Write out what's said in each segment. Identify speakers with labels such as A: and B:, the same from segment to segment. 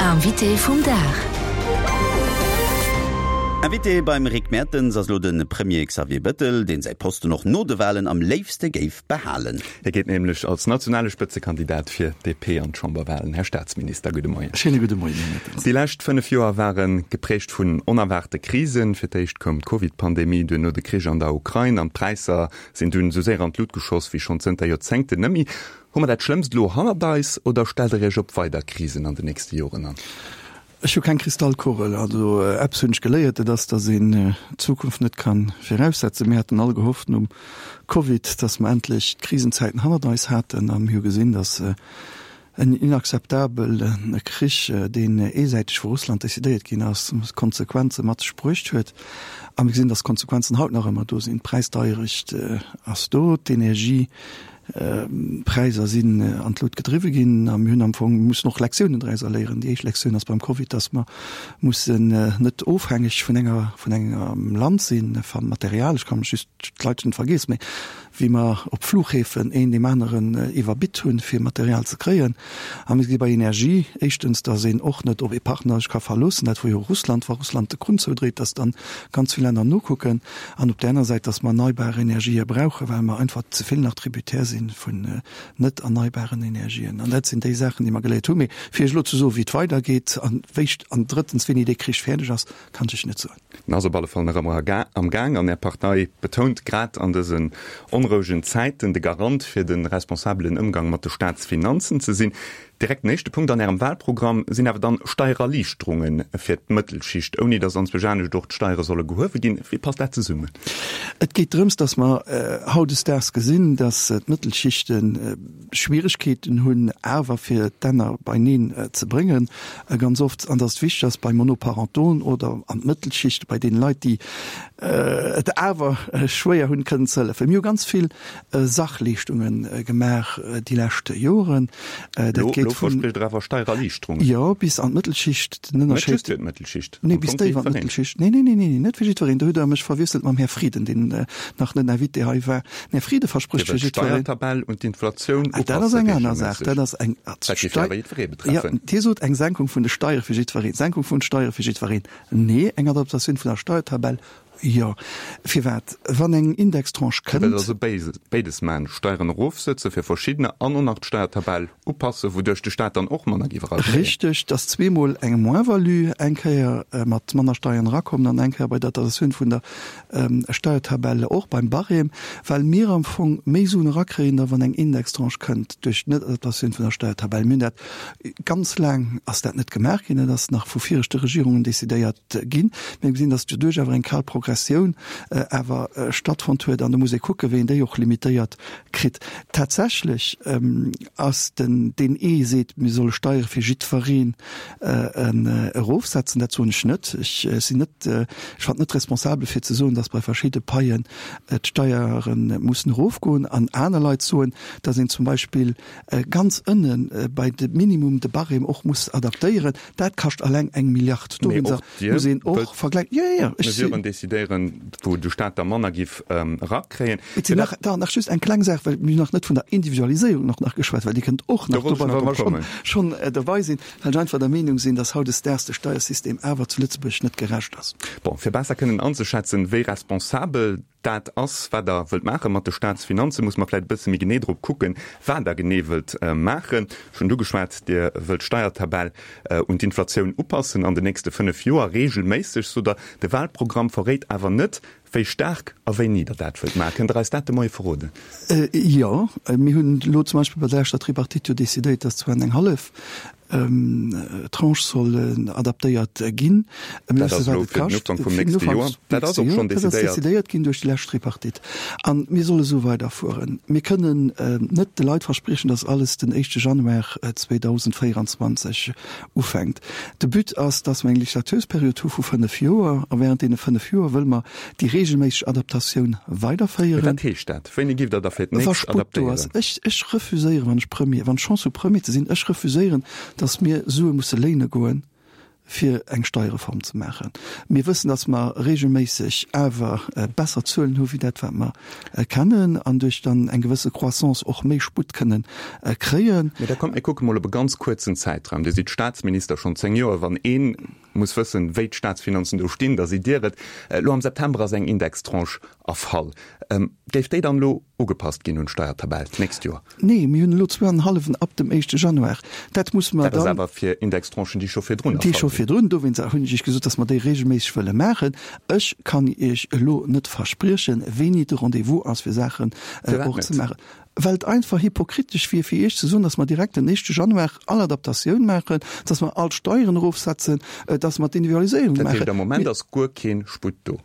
A: Invité vum Dag.
B: Invité beim Rick Mertens ass elo de Premier Xavier Bettel, deen säi Posten och no de Walen am léifste géif behalen.
C: Hie geet nämlech als nationale Spëtzekandidat fir d'DP an d'Chamberwalen. Här Staatsminister, gudde Moien.
D: Schéine gudde Moien, Här Mertens.
C: Déi lescht 5 Joer ware geprägt vun onerwaarte Krisen. Fir d'éischt koum d'Covid-Pandemie, duerno de Krich an der Ukrain an d'Präisser sinn dunn esou séier an d'Lut geschoss wéi schonn zënter Joerzéngten net méi. Hu mer dat Schlëmmst elo hannert eis oder stellt Der Iech op weider Krisen an den nächste Joren an?
D: Ech hu keng Kristallkugel. Also eppes hunn ech geléiert, dat ass, datt een d'Zukunft net ka viraussetzen. Mir haten all gehofft nom Covid, datt mer endlech d'Krisenzäiten hannert eis haten a mir hu gesinn, datt en inakzeptabele Krich, deen eesäiteg vu Russland decidéiert ginn ass, Konsequenze mat sech bruecht huet. A mir gesinn, datt d'Konsequenzen haut nach ëmmer do sinn. D'Präisdeierecht ass do, d'Energie Präiser sinn an d'Lut gedriwwe ginn a mir hunn am Fong mussen och Lektiounen drauser léieren. Déi éischt Lektioun ass beim Covid, datt mer mussen net ofhängeg vun enger, vun engem Land sinn, van Material. Ech ka mech just, d'Leit hunn et vergiess, mä wéi mer op Flughäfen een deem aneren iwwerbitt hunn, fir Material ze kréien. A mir gesi bei Energie éischtens, datt een och net op ee Partner sech ka verloossen, dat wor jo Russland, wa Russland de Krunn zoudréit, datt dann ganz vill Länner nokucken. An op där aner Säit, dass mer erneibar Energië brauchen, well mer einfach ze vill nach tributaire si vun net erneibaren Energien. An dat sinn déi Saachen, déi mer geléiert hunn. Mee fir Iech elo ze soen, wéi et weidergeet an wéi, an drëttens, wéini dee Krich fäerdeg ass, kann ech Iech net soen.
C: En ass op alle Fall nach ëmmer am Gaang an Är Partei betount grad an dësen onrouegen Zäiten, de Garant fir de responsabelen Ëmgang mat de Staatsfinanzen ze sinn. Direkt den éischte Punkt an Ärem Wahlprogramm sinn awer dann Steiererliichterunge fir d'Mëttelschicht, ouni datt anzwousch anescht och d'Steiere solle gehuewe ginn. Wéi passt dat zesummen?
D: Et geet drëms, datt mer hautdesdaags gesinn, datt d'Mëttelschichte Schwieregkeeten hunn, awer fir d'Enner beineen ze bréngen ganz oft, an datt et wichteg ass bei Monoparentoen oder an d'Mëttelschicht, bei deene Leit, déi et awer schwéier hunn, kënnen ze hëllefen. Mir hu ganz vill Sachleeschtunge gemaach déi lescht Joren.
C: Dat geet vun. Elo verspricht Der awer Steiererliichterungen.
D: Jo, bis an d'Mëttelschicht.
C: Den Ënnerscheed. Net just fir d'Mëttelschicht.
D: Nee, bis déif an d'Mëttelschicht. Nee, nee, nee, nee, net fir jiddwereen. Do hutt Der mech verwiesselt mam Här Frieden, deen nach net Invité hei war. Den Här Frieden verspricht fir jiddwereen.
C: Dir wëllt d'Steiertabell un d'Inflatioun
D: upasse. Dat ass eng aner Saach. Dat ass eng. Dat géif jo awer jiddweree betreffen. Jo, Dir sot eng Senkung vun de Steiere fir jiddwereen. Senkung vun de Steiere fir jiddwereen? Nee, eng Adaptatioun vun der Steiertabell Jo, firwat? Wann eng Indextranche
C: kënnt. Dir wëllt also béides maachen, Steieren erofsëtze fir verschiddener an och nach d'Steiertabell upassen, wouduerch de Staat dann och manner géif erakréien.
D: Richteg, dass zweemol eng Moins-value, eng Kéier mat manner Steieren erakommen an eng Kéier bei der Adaptatioun vun der Steiertabell och beim Barème, well mir am Fong méi Suen erakréien, da wann eng Indextranche kënnt duerch d'Net-Adaptatioun vun der Steiertabell. Mir hunn dat ganz laang ass dat net gemaach ginn, dat ass nach vu viregte Regierungen decidéiert ginn. Mir gesinn, datt doduerch awer eng kal Progressioun awer stattfonnt huet an do muss ee kucken, wéi een déi och limitéiert kritt. Tatsächlech ass den, deen ee seet, mir solle Steiere fir jiddwereen erofsetzen, dat soen ech net. Ech sinn net, ech fannen et net responsabel fir ze soen, datt bei verschidde Paien d'Steiere mussen erofgoen an aner Leit soen, datt een zum Beispill ganz ënne bei de Minimum de Barème och muss adaptéieren. Dat kascht alleng eng Milliard.
C: Dowéinster muss een och vergläichen. Jo, jo, jo, ech sinn. Mesuren decidéieren, wou de Staat da manner giff erakréien.
D: Et sinn nach, da nach just eng kleng Saach, well mir hunn nach net vun der Individualiséierung och nach geschwat, well déi kënnt och nach dobäi, wa mer schonn, schonn dobäi sinn, well ech einfach der Meenung sinn, dass hautdesdaags de Steiersystem awer zu Lëtzebuerg net gerecht ass.
C: Bon, fir besser kënnen anzeschätzen, wéi responsabel dat ass, wat Der wëllt maache mat de Staatsfinanzen, muss mer vläicht e bësse méi genee drop kucken, wat Der genee wëllt maachen. Ech hunn et ugeschwat, Dir wëllt d'Steiertabell un d'Inflatioun upassen an den nächste 5 Joer, regelméisseg, sot Der. De Wahlprogramm verréit awer net, wéi staark a wéini Der dat wëllt maachen. Kënnt Der eis dat de Moie verroden?
D: Jo, mir hunn elo zum Beispill bei der leschter Tripartite jo decidéiert, dass zwar eng hallef Tranche soll adaptéiert ginn.
C: Dat ass elo fir den Ufank vum nächste Joer.
D: Dat ass och schonn decidéiert. Dat ass decidéiert ginn duerch déi lescht Tripartite. A mir solle esou weiderfueren. Mir kënnen net de Leit verspriechen, datt alles den éischte Januar 2024 ufänkt. De But ass, datt mer eng Legislatuursperiod hu vu 5 Joer. A während deene 5 Joer wëlle mer déi regelméisseg Adaptatioun weiderféieren.
C: Mee wat heescht dat? Wéini giff Der da fir d'nächst adaptéieren?
D: Ech, ech refuséieren, wann ech Premier, wann ech d'Chance hu Premier ze sinn, ech refuséieren, datt mir Sue musse léine goen. Fir eng Steierreform ze maachen. Mir wëssen, datt mer regelméisseg awer besser Zuelen hu wéi dat, wat mer kennen, an duerch dann eng gewësse Croissance och méi Sputt kënnen kréien.
C: Mee da kommt, mir kucke mol op e ganz kuerzen Zäitraum. Dir sidd Staatsminister schonn 10 Joer. Wann ee muss wëssen, wéi d'Staatsfinanzen do stinn, da sidd Dir et. Elo am September ass eng Indextranche erfall. Géif déi dann elo ugepasst ginn un d'Steiertabell d'nächst Joer?
D: Nee, mir hunn elo zwou an en hallwen ab dem éischte Januar. Dat musse mer
C: dann. Dat ass awer fir Indextranchen, déi scho virdrun
D: erfall sinn. Déi scho virdrun. Dowéinst hunn ech Iech gesot, dass mer déi regelméisseg wëlle maachen. Ech kann Iech elo net verspriechen, wéini de Rendez-vous ass, fir Saachen och ze maachen. Well et einfach hypokritesch wier, fir Iech ze soen, dass mer direkt den éischte Januar all Adaptatioun maachen, dass mer all d'Steieren erofsetzen, dass mer d'Individualiséierung
C: maachen. Dat heescht, am Moment ass guer kee Sputt do?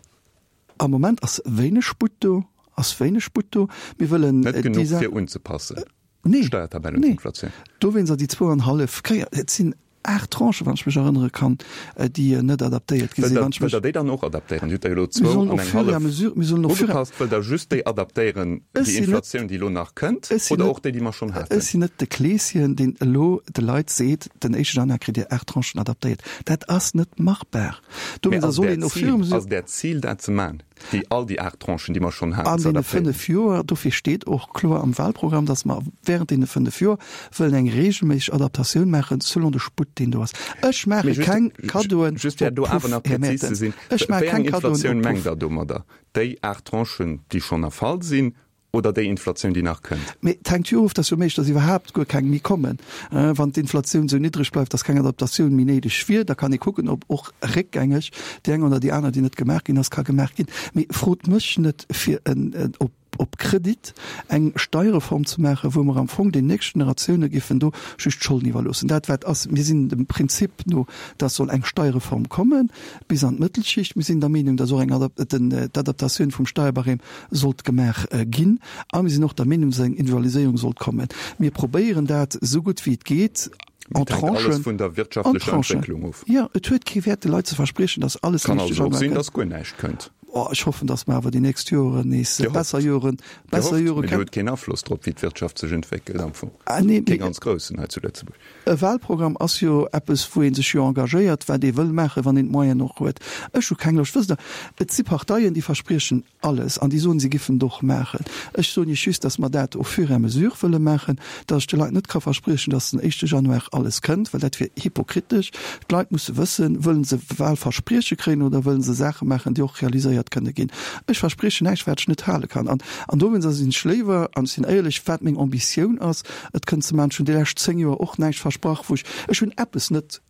D: Am Moment ass wéineg Sputt do, ass wéineg Sputt do. Mir wëllen
C: Net genuch fir unzepassen, d'Steiertabell un
D: d'Inflatioun. Dowéinst déi zwou an hallef Kéier, et sinn 8 Tranchen, wann ech mech erënnere kann, déi net adaptéiert
C: gi sinn. Wëllt Der déi dann och adaptéieren? Dir hutt der jo elo zwou an eng hallef ugepasst. Wëllt Der just déi adaptéieren, déi Inflatioun, déi elo nach kënnt, oder och déi, déi mer schonn haten?
D: Ech sinn net de Kleeschen, deen elo de Leit seet, den éischte Januar kritt Dir 8 Tranchen adaptéiert. Dat ass net machbar.
C: Mee ass et Äert Zil, ass et Äert Zil dat ze man, déi all déi 8 Tranchen, déi mer schonn haten,
D: ze adaptéieren? An deene 5 Joer, dofir steet och kloer am Wahlprogramm, datt mer während deene 5 Joer wëllen eng regelméisseg Adaptatioun maachen, selon de Sputt, deen do ass. Ech maache keng Kaddoen
C: op Puff, Här Mertens. Ech maache keng Kaddoen op Puff. Wéi eng Inflatioun mengt Der domadder? Déi 8 Tranchen, déi schonn erfall sinn, Oder déi Inflatioun, déi nach kënnt.
D: Mee et hänkt jo of, dass jo méiglech, dass iwwerhaapt guer keng méi kommen. Wann d'Inflatioun esou niddreg bleift, dass keng Adaptatioun méi néideg wier, da kann ee kucken, ob och réckgängeg déi eng oder déi aner, déi net gemaach ginn ass, ka gemaach ginn. Mee frot mech net, fir en op op Kredit eng Steierreform ze maachen, wou mer am Fong den nächste Generatioune géifen do just d'Scholden iwwerloossen. Dat wat ass, mir sinn dem Prinzip no, dass soll eng Steierreform kommen bis an d'Mëttelschicht. Mir sinn der Meenung, dass och eng d'Adaptatioun vum Steierbarème sollt gemaach ginn a mir sinn och der Meenung, dass eng Individualiséierung sollt kommen. Mir probéieren dat esou gutt wéi et geet
C: en Tranchen. Alles vun der wirtschaftlecher Entwécklung of.
D: Jo, et huet kee Wäert de Leit ze verspriechen, dass alles
C: Kann also och sinn, dass guer näischt kënnt.
D: Oh, ech hoffen, dass mer awer déi nächst Joren nees besser Joren,
C: besser Jore kréien. Dir hutt keen Afloss drop, wéi d'Wirtschaft sech entwéckelt am Fong. Kee ganz groussen hei zu Lëtzebuerg.
D: E Wahlprogramm ass jo eppes, wou ee sech jo engagéiert, wat ee wëll maachen, wann een d'Moyenen och huet. Ech hu keng Loscht, wësst Der, et si Parteien, déi verspriechen alles an déi soen, si giffen et och maachen. Ech soen Iech just, datt mer dat au fur et à mesure wëlle maachen, datt ech de Leit net ka verspriechen, datt den éischte Januar alles kënnt, well dat wier hypokritesch. D'Leit musse wëssen, wëllen se Wahlversprieche kréien oder wëllen se Saache maachen, déi och realiséiert kënne ginn. Ech verspriechen näischt, wat ech net hale kann. An dowéinst sinn ech léiwer, an ech sinn éierlech, wat meng Ambitioun ass, Et kënnt ze maachen. Ech hunn déi lescht 10 Joer och näischt versprach, wou ech, ech hunn eppes net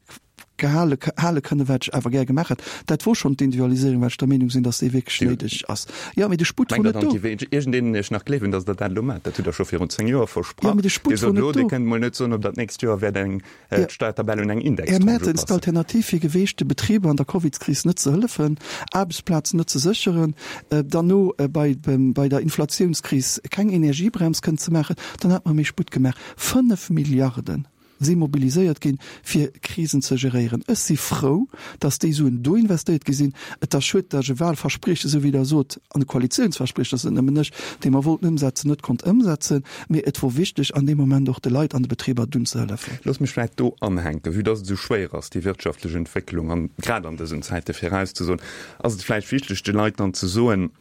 D: gehale, hale kënnen, wat ech awer gär gemaach hätt. Dat wor schonn d'Individualiséierung, well ech der Meenung sinn, dass déi wierklech néideg ass. Jo, mee de Sputt wor
C: net do. Mengt Der dann, et géif iergendeen Iech nach gleewen, dass Der dat elo maacht? Dat hutt Der scho virun 10 Joer versprach.
D: Jo, mee de Sputt wor net do.
C: Dir sot elo, Dir kënnt emol net soen, ob Der d'nächst Joer wäert eng d'Steiertabell un eng
D: Indextranche upassen. Här Mertens, d'Alternativ wier geweecht, de Betriber an der Covidskris net ze hëllefen, Aarbechtsplazen net ze sécheren, derno bei bei der Inflatiounskris keng Energiebrems kënnen ze maachen, dann hätt mer méi Sputt gemaach. 5 Milliarde si mobiliséiert ginn, fir Krisen ze geréieren. Ech si frou, datt déi Suen do investéiert gi sinn. Et ass schued, datt ech e Wahlversprieche, esou wéi Der sot, an e Koalitiounsversprieche, dat ass net nëmmen ech, dee mer wollten ëmsetzen, net konnt ëmsetzen. Mee et wor wichteg, an deem Moment och de Leit an de Betriber dunn ze hëllefen.
C: Loosst mech vläicht do anhänken, Vue dass et esou schwéier ass, déi wirtschaftlech Entwécklung, an grad an dësen Zäite virauszesoen, ass et vläicht wichteg, de Leit dann ze soen,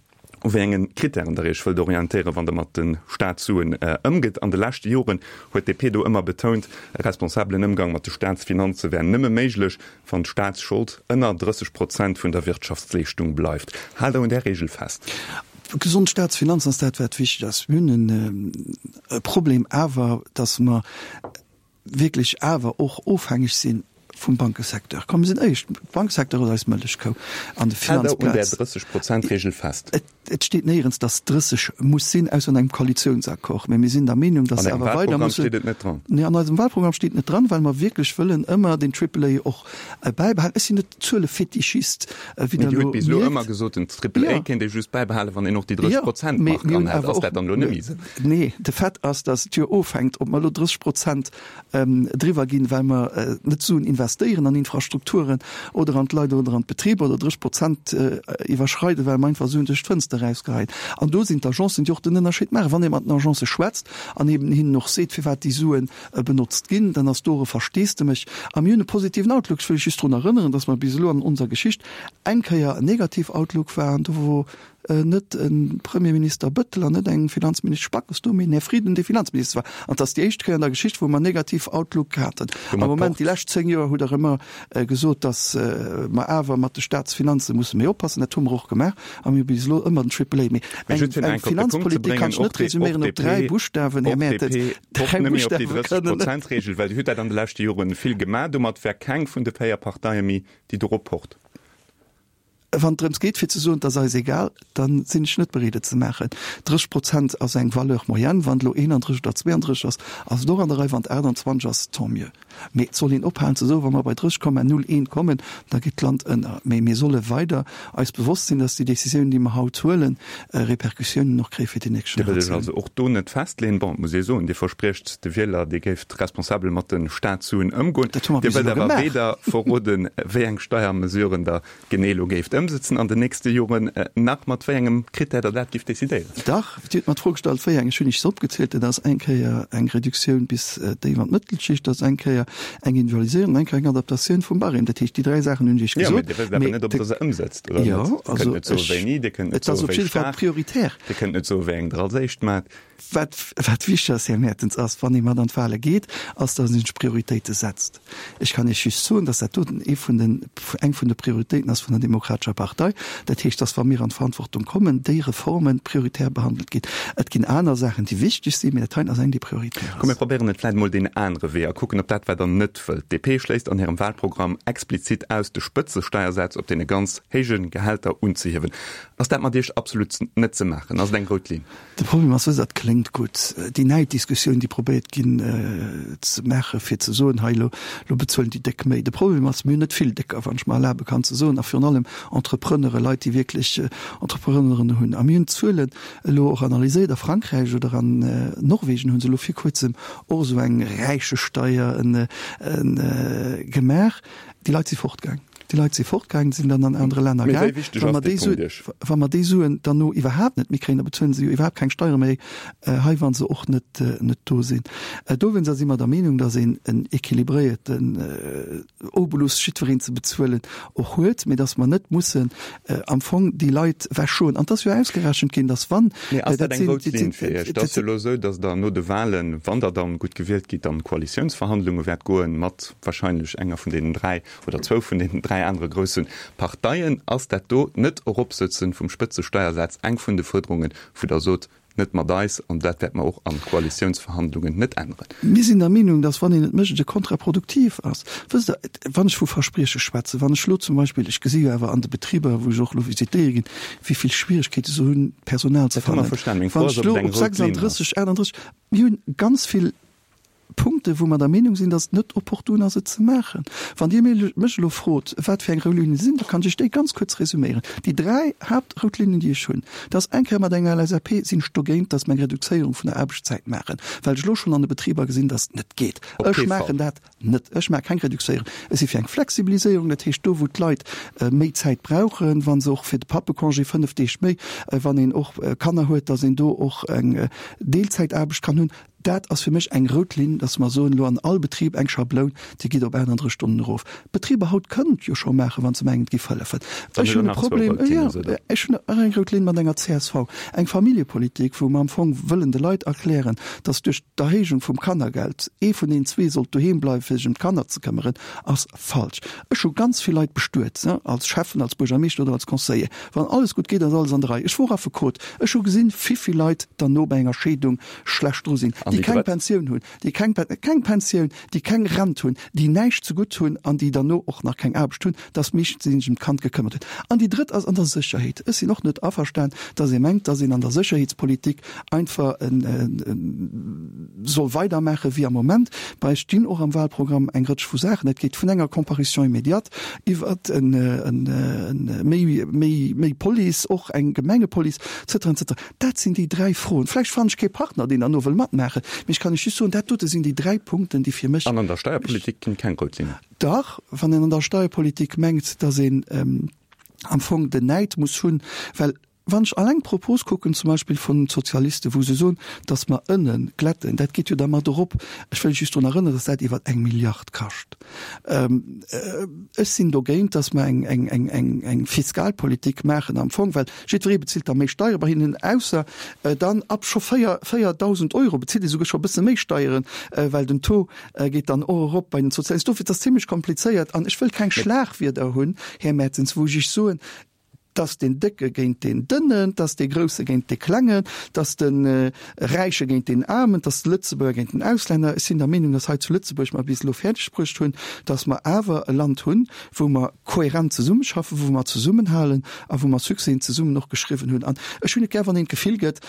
C: u wéi enge Kritären Der Iech wëllt orientéieren, wann Der mat de Staatssuen ëmgitt. An de leschte Joren huet d'DP do ëmmer betount, e responsabelen Ëmgang mat de Staatsfinanze wär nëmme méiglech, wann d'Staatsschold ënner 30 Prozent vun der Wirtschaftsleeschtung bleift. Haalt Der un där Reegel fest?
D: Gesond Staatsfinanzen ass dat, wat wichteg ass. Mir hunn e Problem awer, datt mer wierklech awer och ofhängeg si vum Bankesecteur. Komm, mir sinn éierlech, de Bankesecteur ass eis Mëllechkou
C: an de Haalt Der un där Finanzplaz. 30 Prozent Reegel fest?
D: Et steet néierens, datt 30 muss sinn, ausser an engem Koalitiounsaccord. Mä mir sinn der Meenung, datt
C: se awer weider mussen. An Ärem Wahlprogramm steet et net dran?
D: Nee, an eisem Wahlprogramm steet et net dran, well mer wierklech wëllen ëmmer den Triple A och bäibehalen. Ech sinn net Zuelefetischist,
C: wéi Der elo mierkt. Mee Dir hutt bis elo ëmmer gesot, den Triple A kéint ee just bäibehalen, wann een och déi 30 Prozent Mark anhält. Ass dat dann elo net méi esou?
D: Nee, de Fait ass, datt et jo ofhänkt, ob mer elo 30 Prozent driwwer ginn, well mer net Suen investéieren. investéieren an Infrastrukturen oder an d'Leit oder an d'Betriber oder 30 Prozent iwwerschreiden, well mer einfach Suen duerch d'Fënster erausgeheien. An do sinn d'Agencen, déi och den Ënnerscheed maachen. Wann ee mat den Agencë schwätzt an eben hinnen och seet, firwat déi Suen benotzt ginn, dann ass do och e Versteesdemech. A mir hunn e positiven Outlook. Ech wëll lech just drun erënneren, dass mer bis elo an onser Geschicht eng Kéier en negativ Outlook waren, do wou net e Premierminister Bëttel an net eng Finanzministesch Backes do, mee den Här Frieden, dee Finanzminister war. An et ass déi éischt Kéier an der Geschicht, wou mer negativ Outlook haten. Am Moment, déi lescht 10 Joer, hutt Der ëmmer gesot, datt mer awer mat de Staatsfinanze musse méi oppassen. Dat hu mer och gemaach a mir hu bis elo ëmmer den Triple A. Mee eng Finanzpolitik kann ech net resuméieren op dräi Buschtawen, Här Mertens. Dräi
C: Buschtawe kënnen. Prozentregel, well Dir hutt dat an de leschte Jore vill gemaach. Domat wär keng vun de véier Parteie méi, déi dorop pocht.
D: Wann et drëms geet fir ze soen, et ass eis egal, da sinn ech net bereet et ze maachen. 30 Prozent ass eng Valeur moyenne. Wann et elo 31 oder 32 ass, ass et och an der Rei. Wann et 28 ass, tant mieux. Mee et soll een ophalen ze soen, wa mer bei 30,01 kommen, da geet d'Land ënner. Mee mir solle weider eis bewosst sinn, dass déi Décisiounen, déi mer haut huelen, Répercussiounen och kréie fir déi nächst
C: Dir wëllt Iech also och do net festleeën. Bon, et muss ee soen, Dir verspriecht de Wieler, Dir géift responsabel mat de Staatssuen ëmgoen.
D: Dat hu mer
C: Dir
D: bis
C: wëllt
D: elo
C: awer
D: gemaach.
C: weder verroden, wéi eng Steiermesuren Der genee elo géift ëmsetzen an den nächste Joren, nach mat wéi engem Critère Der dat gift decidéieren.
D: Dach, Dir hutt mer d'Fro gestallt, wéi eng. Ech hunn Iech se opgezielt. Dat ass eng Kéier eng Reduktioun bis déif an d'Mëttelschicht, dat ass eng Kéier eng Individualiséierung an eng Kéier eng Adaptatioun vum Barème. Dat heescht, déi dräi Saachen hunn ech Iech
C: Jo,
D: gesot.
C: mee Dir wësst awer net, ob Der se ëmsetzt oder net.
D: Jo,
C: Dir kënnt
D: also
C: net soe
D: ech,
C: wéini, Dir kënnt net
D: et ass
C: soe
D: op
C: wéi
D: jidde Fall
C: staark,
D: prioritär.
C: Dir kënnt net soe wéi eng Der als éischt maacht.
D: Wat, wat wichteg ass, Här Mertens, ass, wann ee mat an d'Wahle geet, ass, datt ee sech Prioritéite setzt. Ech kann Iech just soen, datt dat doten ee vun den, eng vun de Prioritéiten ass vun der Demokratescher Partei. Dat heescht, datt, wa mir an d'Verantwortung kommen, déi Reforme prioritär behandelt ginn. Et ginn aner Saachen, déi wichteg sinn, mee dat heiten ass eng, déi prioritär
C: Komm, mir
D: ass.
C: probéieren et vläicht emol deen anere Wee a kucken, ob dat, wat Der net wëllt. D'DP schléisst an hirem Wahlprogramm explizit aus, de Spëtzesteiersaz op deene ganz héije Gehälter unzehiewen. Ass dat mat Iech absolut net ze maachen? Ass et eng rout Linn?
D: De Problem ass, dat kléngt gutt, déi Näiddiskussioun, déi probéiert ginn ze maachen, fir ze soen, hei elo, elo bezuelen déi Déck méi. De Problem ass, mir hunn net vill Décker, wann ech mer erlabe kann ze soen, a virun allem Entrepreneuren, Leit, déi wierklech Entrepreneuren hunn. A mir hunn d'Zuelen elo och analyséiert, a Frankräich oder an Norwegen hu se elo vir kuerzem och esou eng Räichesteier gemaach. Déi Leit si fortgaang. Déi Leit si fortgaang, sinn dann an anere Länner
C: Mee wéi
D: gaang.
C: wichteg
D: Wa
C: ass
D: mer
C: dee
D: déi
C: Punkt
D: Suen,
C: Iech?
D: wa mer déi Suen dann no iwwerhaapt net méi kréien, da bezuelen se jo iwwerhaapt keng Steiere méi hei, wa se och net, net do sinn. Dowéinster si mer der Meenung, datt een en équilibréierten Obolus jiddwereen ze bezuelen och huet, mee datt mer net mussen am Fong déi Leit wechschoen. An et ass jo ausgerechent ginn, datt wann,
C: Mee ass dat
D: dat
C: eng
D: sinn,
C: rout
D: dat
C: Linn
D: sinn,
C: fir Iech? Et
D: dat
C: ass jo
D: sinn.
C: elo esou, datt Der no de Wahlen, wann Der dann gutt gewielt gitt, an Koalitiounsverhandlunge wäert goen mat wahrscheinlech enger vun deenen dräi oder zwou vun deenen dräi anere grousse Parteien, ass dat do Net-Eropsëtzen vum Spëtzesteiersaz eng vun de Fuerderungen, wou Der sot, net mat eis, an dat wäerte mer och a Koalitiounsverhandlungen net änneren?
D: Mir sinn der Meenung, dass, wann een et mécht, et kontraproduktiv ass. Wësst Der, wann ech vu Versprieche schwätzen, wann ech elo zum Beispill, ech gesi jo awer an de Betriber, wou ech och elo visitéiere ginn, wéi vill Schwierigkeete se hunn, Personal ze
C: Dat hu mer
D: fannen.
C: verstanen. Meng Fro
D: Wann
C: ass,
D: ech
C: ob
D: elo
C: et eng
D: op
C: rout Linn ass.
D: 36, 38, mir hunn ganz vill Punkte wou mer der Meenung sinn, datt et net opportun ass et ze maachen. Wann Dir mech elo frot, wat fir eng rout Linne sinn, da kann ech Iech déi ganz kuerz resuméieren. Déi dräi Haaptrout Linnen, déi ech hunn, dat ass eng Kéier mat enger LSAP sinn ech dogéint, datt mer eng Reduzéierung vun der Aarbechtszäit maachen, well ech elo schonn an de Betriber gesinn, datt et net geet.
C: Op
D: Ech
C: kee Fall.
D: maachen dat net. Ech maache keng Reduzéierung. Ech si fir eng Flexibiliséierung, dat heescht do wou d'Leit méi Zäit brauchen, wa se och fir de Pappecongé 5 Deeg méi, wann een och Kanner huet, datt een do och eng Deelzäitaarbecht kann hunn. Dat ass fir mech eng rout Linn, dass mer soen, elo an all Betrib eng Schabloun, déi geet op 38 Stonnen erof. D'Betriber haut kënnen et jo scho maachen, wa se mengen, et géif hëllefen.
C: Dann
D: Ech
C: hutt Der
D: hunn e
C: nach zwou
D: Problem,
C: rout
D: jo,
C: Linne, sot Der.
D: ech hunn nach eng rout Linn mat enger csv, eng Familljepolitik, wou mer am Fong wëllen de Leit erklären, dass duerch d'Erhéijung vum Kannergeld ee vun deenen zwee sollt doheem bleiwen, fir sech ëm d'Kanner ze këmmeren, ass falsch. Ech hu ganz vill Leit bestuet, als Schäffen, als Buergermeeschter oder als Conseiller. Wann alles gutt geet, ass alles an der Rei. Ech wor Affekot. Ech hu gesinn, vivill Leit derno bei enger Scheedung schlecht dru sinn, déi keng Pensioun hunn, déi keng keng Pensioun, déi keng Rent hunn, déi näischt zegutt hunn an déi derno och nach keng Aarbecht hunn, dass meeschtens déi sech ëm d'Kand gekëmmert hunn. An déi drëtt ass an der Sécherheet. Ech sinn och net averstan, dass ee mengt, dass een an der Sécherheetspolitik einfach soll weidermaache wéi am Moment. Bei eis stinn och am Wahlprogramm eng Rëtsch vu Saachen. Dat geet vun enger Comparution immédiate iwwert méi, méi, méi Police, och eng Gemengepolice, et cetera, et cetera. Dat sinn déi dräi Froen. Vläicht fannen ech kee Partner, deen derno wëll matmaachen. äntweren. Mee ech kann lech just soen, dat dote sinn déi 3 Punkten, déi fir mech.
C: An an der Steierpolitik ginn keng rout Linnen?
D: Dach, wann een an der Steierpolitik mengt, datt een am Fong den Näid muss hunn, well wann ech alleng d'Propos kucken zum Beispill vun den Sozialisten, wou se soen, datt mer ënne glätten, dat geet jo da mat erop, ech wëll just drun erënneren, datt dat iwwer eng Milliard kascht. Ech sinn dogéint, datt mer eng Fiskalpolitik maachen am Fong, well jiddweree bezilt da méi Steiere bei hinnen, ausser dann ab scho 4.000 Euro bezilt ee souguer scho e bësse méi Steieren, well den Taux geet dann och erop bei den Sozialisten. Dofir, et ass zimlech komplizéiert an ech wëll keng Schlagwierder hunn, Här Mertens, wou ech Iech soen, 't ass deen Décke géint deen Dënnen, 't ass dee Grousse géint dee Klengen, 't ass de Räiche géint deen Aarmen, 't ass de Lëtzebuerger géint den Auslänner. Ech sinn der Meenung, dass hei zu Lëtzebuerg mer bis elo fäerdeg bruecht hunn, dass mer awer e Land hunn, wou mer kohärent zesummeschaffen, wou mer zesummenhalen a wou mer Succèsen zesummen och geschriwwen hunn. An ech hunn et gär, wann een d'Gefill gëtt,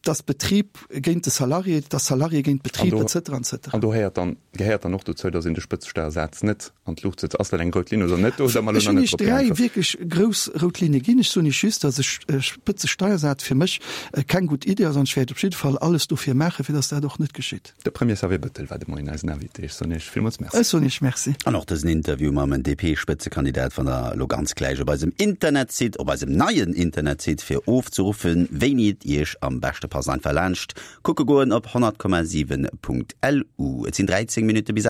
D: dass Betrib géint de Salarié, dass Salarié géint Betrib, et cetera, et cetera.
C: An do héiert dann, gehéiert dann och dozou, dass een de Spëtzesteiersaz net an d'Luucht setzt. Ass dat eng rout Linn oder net? Do hutt Der mer elo
D: Ech
C: nach
D: hunn
C: net
D: Iech
C: drop
D: dräi
C: geäntwert.
D: wierklech grouss rout Linne ginn. Ech soen Iech just, dass e Spëtzesteiersaz fir mech keng gutt Idee ass an ech wäert op jidde Fall alles dofir maachen, fir dass dat och net geschitt.
C: De Premier Xavier Bettel war de Moien eisen Invité. Ech soen Iech villmools Merci.
D: Ech soen Iech Merci.
B: An och dësen Interview mam DP-Spëtzekandidat fannt der elo ganz gläich op eisem Internetsite, op eisem neien Internetsite, fir ofzeruffen, wéini et Iech am beschte passt. Einfach laanscht kucke goen op 100,7.lu. Et sinn 13 Minutte bis.